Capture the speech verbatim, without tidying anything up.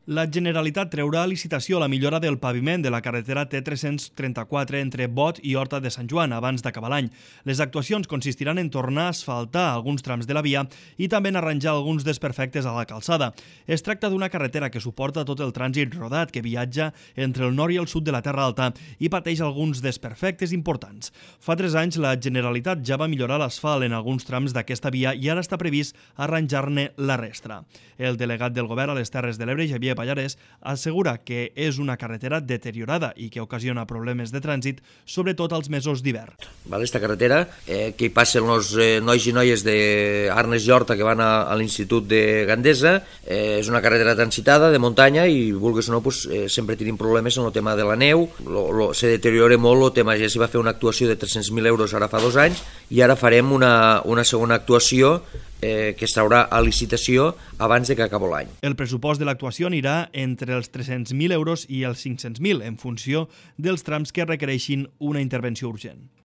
La Generalitat treurà a licitació la millora del paviment de la carretera T tres-cents trenta-quatre entre Bot i Horta de Sant Joan abans d'acabar l'any. Les actuacions consistiran en tornar a asfaltar alguns trams de la via i també en arranjar alguns desperfectes a la calçada. Es tracta d'una carretera que suporta tot el trànsit rodat que viatja entre el nord i el sud de la Terra Alta i pateix alguns desperfectes importants. Fa tres anys la Generalitat ja va millorar l'asfalt en alguns trams d'aquesta via i ara està previst arranjar-ne la resta. El delegat del govern a les Terres de l'Ebre, Xavier Pallarès, assegura que és una carretera deteriorada i que ocasiona problemes de trànsit, sobretot als mesos d'hivern. Esta carretera, eh, que hi passen els eh, nois i noies d'Arnes i Horta que van a, a l'Institut de Gandesa, eh, és una carretera transitada de muntanya i, vulguis o no, pues, eh, sempre tenim problemes en el tema de la neu, lo, lo, se deteriora molt el tema, ja s'hi va fer una actuació de tres-cents mil euros ara fa dos anys i ara farem una, una segona actuació Eh, que es traurà a licitació abans de que acabi l'any. El pressupost de l'actuació anirà entre els tres-cents mil euros i els cinc-cents mil, en funció dels trams que requereixin una intervenció urgent.